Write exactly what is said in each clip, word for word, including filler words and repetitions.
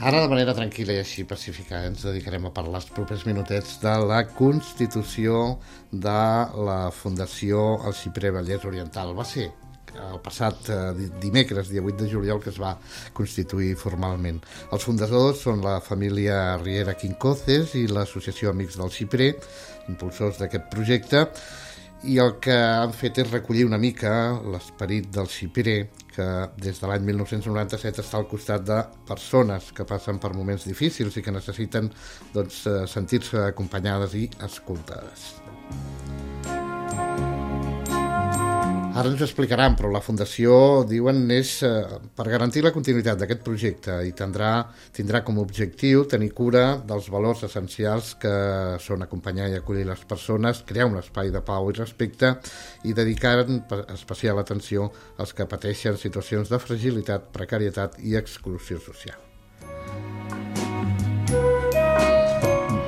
Ara, de manera tranquil·la i així pacífica, ens dedicarem a parlar els propers minutets de la constitució de la Fundació El Xiprer Vallès Oriental. Va ser el passat eh, dimecres, dia vuit de juliol, que es va constituir formalment. Els fundadors són la família Riera Quincoces i l'associació Amics del Xiprer, impulsors d'aquest projecte, i el que han fet és recollir una mica l'esperit del xiprer, que des de l'any mil nou-cents noranta-set està al costat de persones que passen per moments difícils i que necessiten doncs, sentir-se acompanyades i escoltades. Ara ens ho explicaran, però la Fundació, diuen, és eh, per garantir la continuïtat d'aquest projecte i tindrà, tindrà com a objectiu tenir cura dels valors essencials que són acompanyar i acollir les persones, crear un espai de pau i respecte i dedicar especial atenció als que pateixen situacions de fragilitat, precarietat i exclusió social.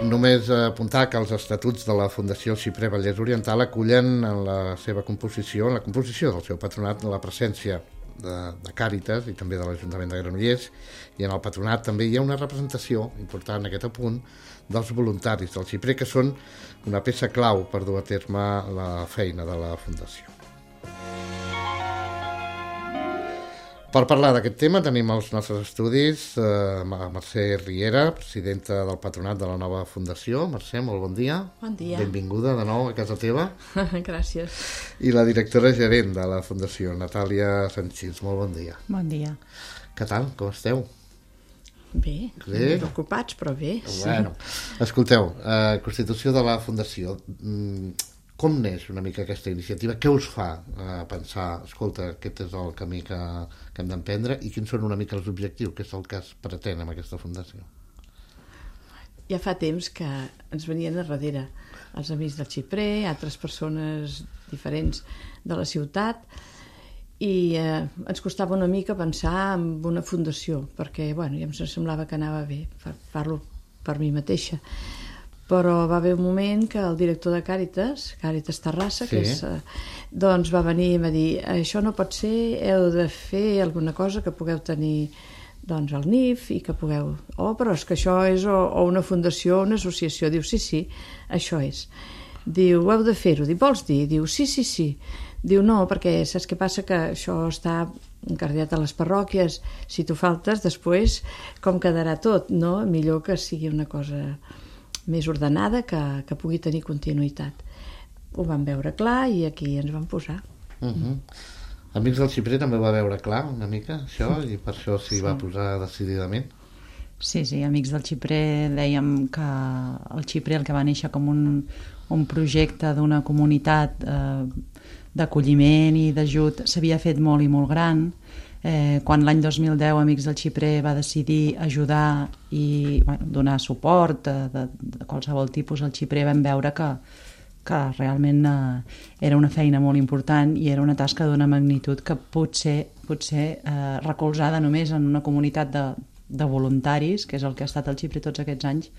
Només apuntar que els estatuts de la Fundació Xiprer Vallès Oriental acullen en la seva composició, en la composició del seu patronat, la presència de, de Càritas i també de l'Ajuntament de Granollers, i en el patronat també hi ha una representació important, aquest apunt, dels voluntaris del Xiprer, que són una peça clau per dur a terme la feina de la Fundació. Per parlar d'aquest tema tenim als nostres estudis eh, Mercè Riera, presidenta del patronat de la nova fundació. Mercè, molt bon dia. Bon dia. Benvinguda de nou a casa teva. Gràcies. I la directora gerent de la fundació, Natàlia Sanchís. Molt bon dia. Bon dia. Què tal? Com esteu? Bé, bé? Preocupats, però bé. Bueno, escolteu, eh, constitució de la fundació. Mm, Com neix una mica aquesta iniciativa? Què us fa eh, pensar, escolta, aquest és el camí que, que hem d'emprendre, i quins són una mica els objectius, què és el que es pretén amb aquesta fundació? Ja fa temps que ens venien a darrere els amics del Xiprer, altres persones diferents de la ciutat, i eh, ens costava una mica pensar en una fundació, perquè bueno, ja em semblava que anava bé, parlo per mi mateixa. Però va haver un moment que el director de Càritas, Càritas Terrassa, sí. que és, doncs va venir i va dir, això no pot ser, heu de fer alguna cosa que pugueu tenir doncs, el N I F i que pugueu... Oh, però és que això és o, o una fundació o una associació. Diu, sí, sí, això és. Diu, heu de fer-ho. Diu, vols dir? Diu, sí, sí, sí. Diu, no, perquè saps què passa? Que això està encarregat a les parròquies. Si tu faltes, després, com quedarà tot, no? Millor que sigui una cosa més ordenada, que, que pugui tenir continuïtat. Ho vam veure clar i aquí ens vam posar. Uh-huh. Amics del Xiprer també ho va veure clar una mica, això, i per això s'hi sí. va posar decididament. Sí, sí, Amics del Xiprer dèiem que el Xiprer, el que va néixer com un, un projecte d'una comunitat eh, d'acolliment i d'ajut, s'havia fet molt i molt gran. Eh, quan l'any dos mil deu Amics del Xiprer va decidir ajudar i bueno, donar suport de, de, de qualsevol tipus al Xiprer, vam veure que, que realment eh, era una feina molt important i era una tasca d'una magnitud que potser, potser eh, recolzada només en una comunitat de, de voluntaris, que és el que ha estat el Xiprer tots aquests anys,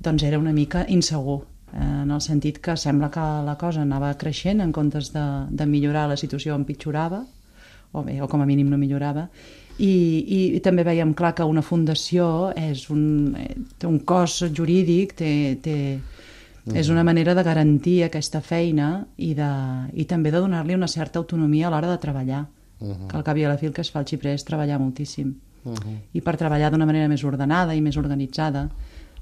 doncs era una mica insegur, eh, en el sentit que sembla que la cosa anava creixent en comptes de, de millorar, la situació empitjorava, o bé, o com a mínim no millorava, i, i, i també veiem clar que una fundació és un, té un cos jurídic, té, té, mm. és una manera de garantir aquesta feina i, de, i també de donar-li una certa autonomia a l'hora de treballar, mm-hmm. que al cap i a la fi el que es fa al Xiprer és treballar moltíssim, mm-hmm. i per treballar d'una manera més ordenada i més organitzada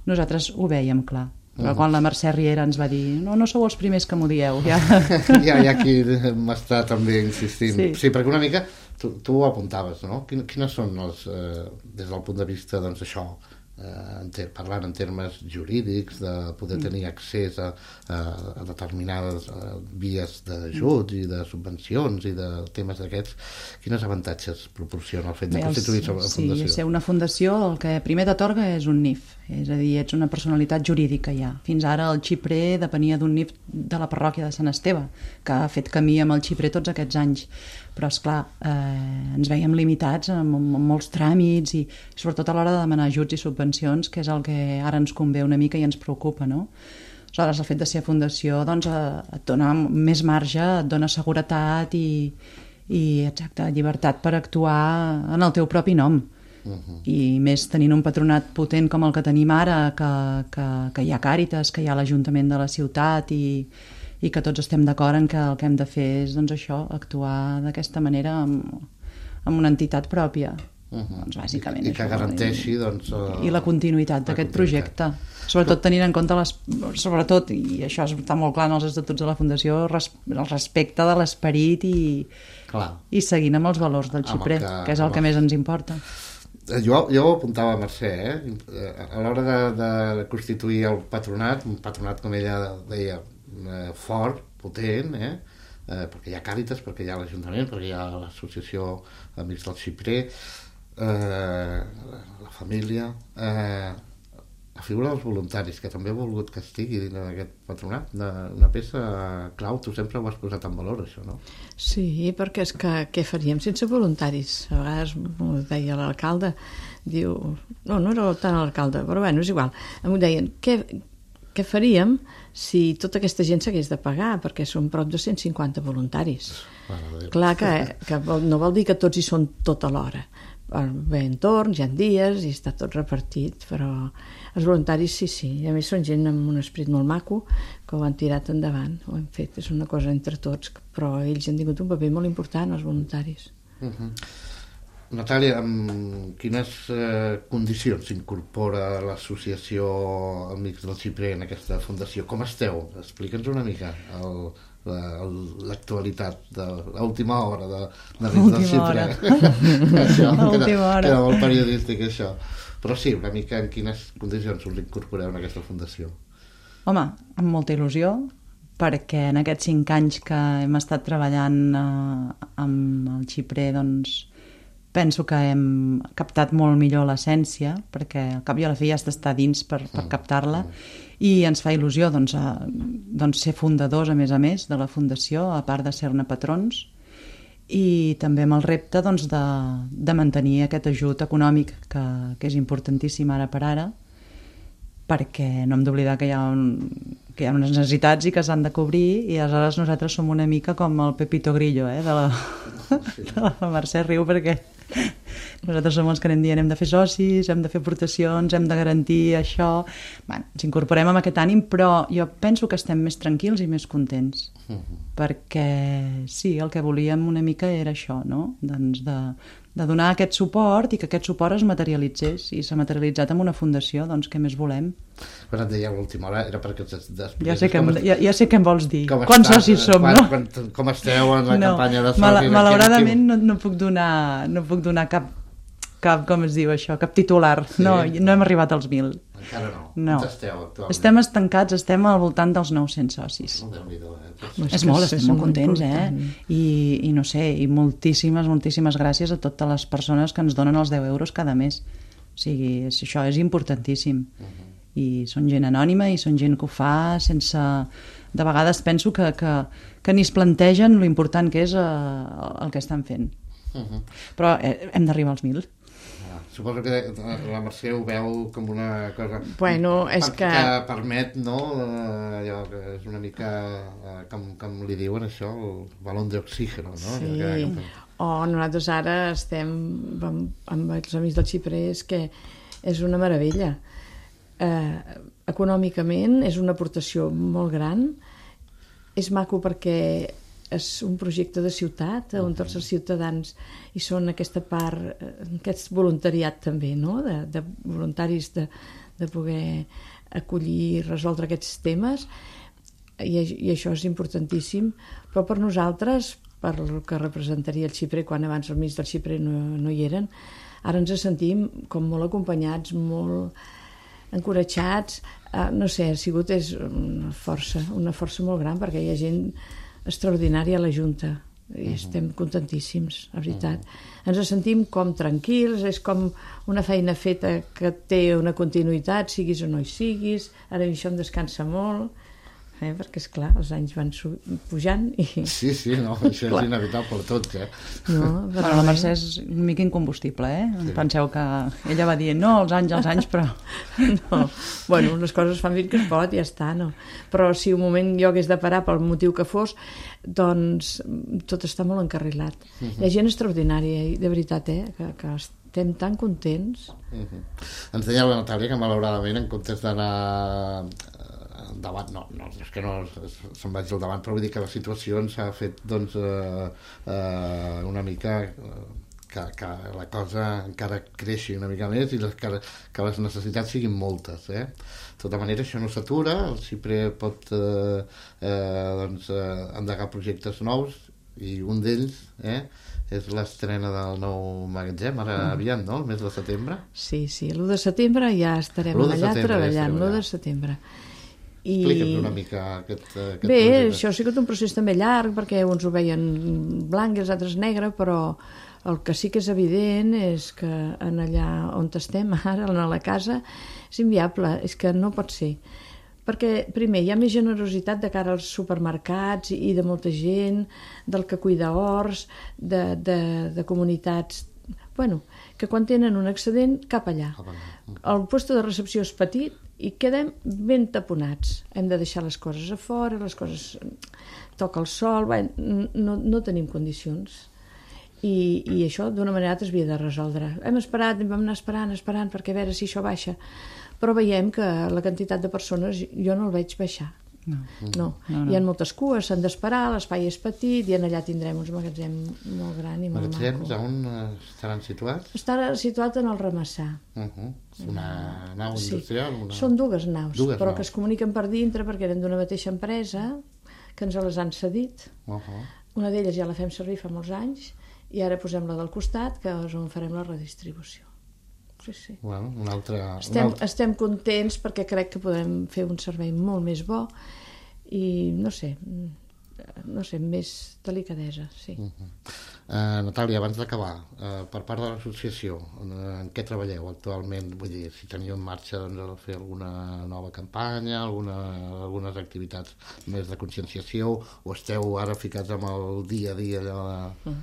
nosaltres ho vèiem clar. Però quan la Mercè Riera ens va dir no, no sou els primers que m'ho dieu. Ja, ja hi ha qui m'està també insistint. Sí, sí, perquè una mica tu, tu ho apuntaves, no? Quines són els, eh, des del punt de vista, doncs això, eh, en ter, parlant en termes jurídics, de poder tenir accés a, a, a determinades a vies d'ajuts i de subvencions i de temes d'aquests, quins avantatges proporciona el fet de constituir-se una fundació? Sí, ser una fundació el que primer t'atorga és un N I F, és a dir, ets una personalitat jurídica ja. Fins ara el Xiprer depenia d'un N I F de la parròquia de Sant Esteve, que ha fet camí amb el Xiprer tots aquests anys. Però, esclar, eh, ens veiem limitats amb, amb molts tràmits i sobretot a l'hora de demanar ajuts i subvencions, que és el que ara ens convé una mica i ens preocupa, no? Aleshores, el fet de ser fundació doncs, et dona més marge, et dona seguretat i, i exacte, llibertat per actuar en el teu propi nom. Uh-huh. I més tenint un patronat potent com el que tenim ara, que, que, que hi ha Càritas, que hi ha l'Ajuntament de la ciutat i, i que tots estem d'acord en que el que hem de fer és doncs, això, actuar d'aquesta manera amb, amb una entitat pròpia. Uh-huh. Doncs, bàsicament, I, i que això, garanteixi doncs, uh, i la continuïtat d'aquest projecte, sobretot tenint en compte les, sobretot, i això està molt clar en els estatuts de la Fundació, res, el respecte de l'esperit i, i seguint amb els valors del xiprer, que, que és el que més ens importa. Jo, jo ho apuntava a Mercè, eh? A l'hora de, de constituir el patronat, un patronat, com ella deia, eh, fort, potent, eh? Eh, perquè hi ha Càritas, perquè hi ha l'Ajuntament, perquè hi ha l'Associació Amics del Xiprer, eh, la, la família, eh, la figura dels voluntaris, que també he volgut que estigui dins d'aquest patronat, una, una peça clau. Tu sempre ho has posat en valor, això, no? Sí, perquè és que què faríem sense voluntaris? A vegades m'ho deia l'alcalde, diu... No, no era tant l'alcalde, però bueno, és igual. Em deien, què, què faríem si tota aquesta gent s'hagués de pagar? Perquè són prop de cent cinquanta voluntaris. Bueno, clar que, que no vol dir que tots hi són tota l'hora. Bé, en torns, hi ha dies i està tot repartit, però els voluntaris sí, sí, i a més són gent amb un esperit molt maco que ho han tirat endavant, ho han fet, és una cosa entre tots, però ells han tingut un paper molt important, els voluntaris. Uh-huh. Natàlia, amb quines eh, condicions s'incorpora l'associació Amics del Xiprer en aquesta fundació? Com esteu? Explica'ns una mica el... l'actualitat de l'última hora de, de Amics del Xiprer. Això, queda, queda molt periodístic, això. Però sí, una mica en quines condicions us incorporeu en aquesta fundació? Home, amb molta il·lusió, perquè en aquests cinc anys que hem estat treballant eh, amb el Xiprer, doncs penso que hem captat molt millor l'essència, perquè al cap i a la fi has d'estar dins per, per captar-la, i ens fa il·lusió doncs, a, doncs, ser fundadors, a més a més, de la fundació, a part de ser-ne patrons, i també amb el repte doncs, de, de mantenir aquest ajut econòmic que, que és importantíssim ara per ara, perquè no hem d'oblidar que hi ha un, que hi ha unes necessitats i que s'han de cobrir, i aleshores nosaltres som una mica com el Pepito Grillo, eh, de la, de la Mercè riu, perquè nosaltres som els que anem dient hem de fer socis, hem de fer aportacions, hem de garantir això. Bé, ens incorporem amb aquest ànim, però jo penso que estem més tranquils i més contents, uh-huh. perquè sí, el que volíem una mica era això, no? Doncs de, de donar aquest suport i que aquest suport es materialitzés, i s'ha materialitzat amb una fundació, doncs què més volem? Quan et deia a l'última hora era perquè ja sé, que em, ja, ja sé què em vols dir. Quants socis som, quan, no? Quan, com esteu en la no, campanya de socis? Mal, malauradament no, no puc donar, no puc donar cap, cap, com es diu això, cap titular. Sí, no, no hem arribat als mil. Encara no. no. Esteu actualment? Estem estancats, estem al voltant dels nou-cents socis. Oh, Déu-n'hi-do, eh? És molt, estem molt contents, eh? I, I no sé, i moltíssimes, moltíssimes gràcies a totes les persones que ens donen els deu euros cada mes. O sigui, és, això és importantíssim. Uh-huh. I són gent anònima i són gent que ho fa sense... De vegades penso que, que, que ni es plantegen lo important que és eh, el que estan fent. Uh-huh. Però eh, hem d'arribar als mil. Ah, suposo que la Mercè ho veu com una cosa... Bueno, és que... que permet, no? Eh, allò que és una mica... Eh, com, com li diuen això, el balón d'oxígeno, no? Sí. Que, que... O nosaltres ara estem amb, amb els Amics del Xiprer, és que és una meravella. Eh, econòmicament és una aportació molt gran, és maco perquè és un projecte de ciutat on tots els ciutadans hi són aquesta part, aquest voluntariat també, no? de, de voluntaris de, de poder acollir i resoldre aquests temes, i, i això és importantíssim, però per nosaltres, per el que representaria el Xiprer quan abans els Amics del Xiprer no, no hi eren, ara ens sentim com molt acompanyats, molt encoratjats, uh, no sé, ha sigut és una força, una força molt gran, perquè hi ha gent extraordinària a la Junta i uh-huh. estem contentíssims, la veritat. Uh-huh. Ens sentim com tranquils, és com una feina feta que té una continuïtat, siguis o no hi siguis, ara això em descansa molt, eh? Perquè, esclar, els anys van pujant i... Sí, sí, no, això és inevitable per tots, eh? No, però la Mercè és una mica incombustible, eh? Sí. Penseu que ella va dir, no, els anys, els anys, però... No, bueno, les coses fan fins que es pot i ja està, no? Però si un moment jo hagués de parar pel motiu que fos, doncs tot està molt encarrilat. Uh-huh. Hi ha gent extraordinària, de veritat, eh? Que, que estem tan contents. Uh-huh. Ens deia la Natàlia que malauradament en comptes d'anar endavant, no, no, és que no se'n vagi al davant, però vull dir que la situació ens ha fet doncs eh, eh, una mica que, que la cosa encara creixi una mica més i les, que, que les necessitats siguin moltes, eh? De tota manera això no s'atura, el Xipre pot eh, eh, doncs, eh, endegar projectes nous i un d'ells eh, és l'estrena del nou magatzem, ara mm. aviat, no? El mes de setembre. Sí, sí, l'u de setembre ja estarem allà treballant, l'u de setembre. I... Explica'ns una mica aquest, aquest Bé, projecte. això ha sigut un procés també llarg, perquè uns ho veien blanc i els altres negre, però el que sí que és evident és que en allà on estem ara, a la casa, és inviable, és que no pot ser. Perquè, primer, hi ha més generositat de cara als supermercats i de molta gent, del que cuida horts, de, de, de comunitats... Bueno, que quan tenen un excedent, cap allà. El lloc de recepció és petit i quedem ben taponats. Hem de deixar les coses a fora, les coses... toca el sol, bé, no, no tenim condicions. I, i això d'una manera es havia de resoldre. Hem esperat, vam anar esperant, esperant, perquè a veure si això baixa. Però veiem que la quantitat de persones jo no el veig baixar. No. no. no, no. Hi ha moltes cues, s'han d'esperar, l'espai és petit i en allà tindrem uns magatzem molt gran i molt Magatzems, maco. on estaran situats? Està situat en el Ramassà. Uh-huh. Una nau industrial? Sí. Una... Són dues naus, dues però naus. que es comuniquen per dintre perquè eren d'una mateixa empresa, que ens les han cedit. Uh-huh. Una d'elles ja la fem servir fa molts anys i ara posem la del costat, que és on farem la redistribució. Sí, sí. Bueno, un altre, estem, un altre... estem contents perquè crec que podem fer un servei molt més bo i no sé, no sé, més delicadesa, sí. Uh-huh. uh, Natàlia, abans d'acabar, uh, per part de l'associació, en, en què treballeu actualment? Vull dir, si teniu en marxa doncs, fer alguna nova campanya, alguna, algunes activitats més de conscienciació, o esteu ara ficats amb el dia a dia allò de... Uh-huh.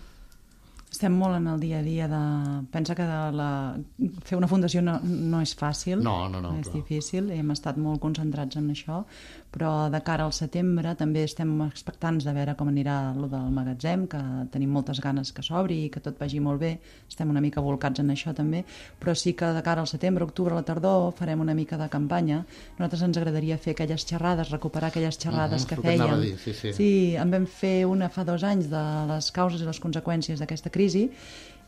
Estem molt en el dia a dia de... Pensa que de la... fer una fundació no, no és fàcil, no, no, no, és clar. difícil, hem estat molt concentrats en això, però de cara al setembre també estem expectants de veure com anirà el del magatzem, que tenim moltes ganes que s'obri i que tot vagi molt bé, estem una mica volcats en això també, però sí que de cara al setembre, octubre, a la tardor, farem una mica de campanya. A nosaltres ens agradaria fer aquelles xerrades, recuperar aquelles xerrades uh-huh, que fèiem. Dir, sí, sí. sí, en vam fer una fa dos anys de les causes i les conseqüències d'aquesta crisi,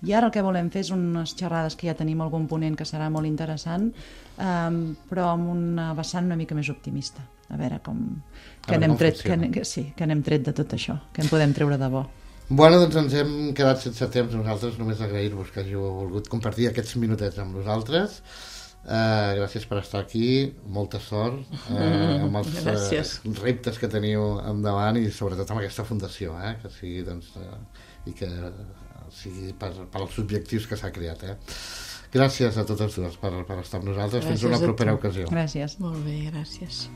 i ara el que volem fer és unes xerrades que ja tenim algun ponent que serà molt interessant, um, però amb una vessant una mica més optimista, a veure com que n'hem tret, que, que, sí, que n'hem tret de tot això, que en podem treure de bo. Bueno, doncs ens hem quedat sense temps nosaltres, només agrair-vos que hàgiu volgut compartir aquests minutets amb nosaltres. Uh, gràcies per estar aquí, molta sort uh, amb els uh, reptes que teniu endavant i sobretot amb aquesta fundació, eh, que sigui doncs, uh, i que sigui per, per als objectius que s'ha creat. Eh. Gràcies a totes dues per, per estar amb nosaltres. Gràcies. Fins una propera ocasió. Gràcies. Molt bé, gràcies.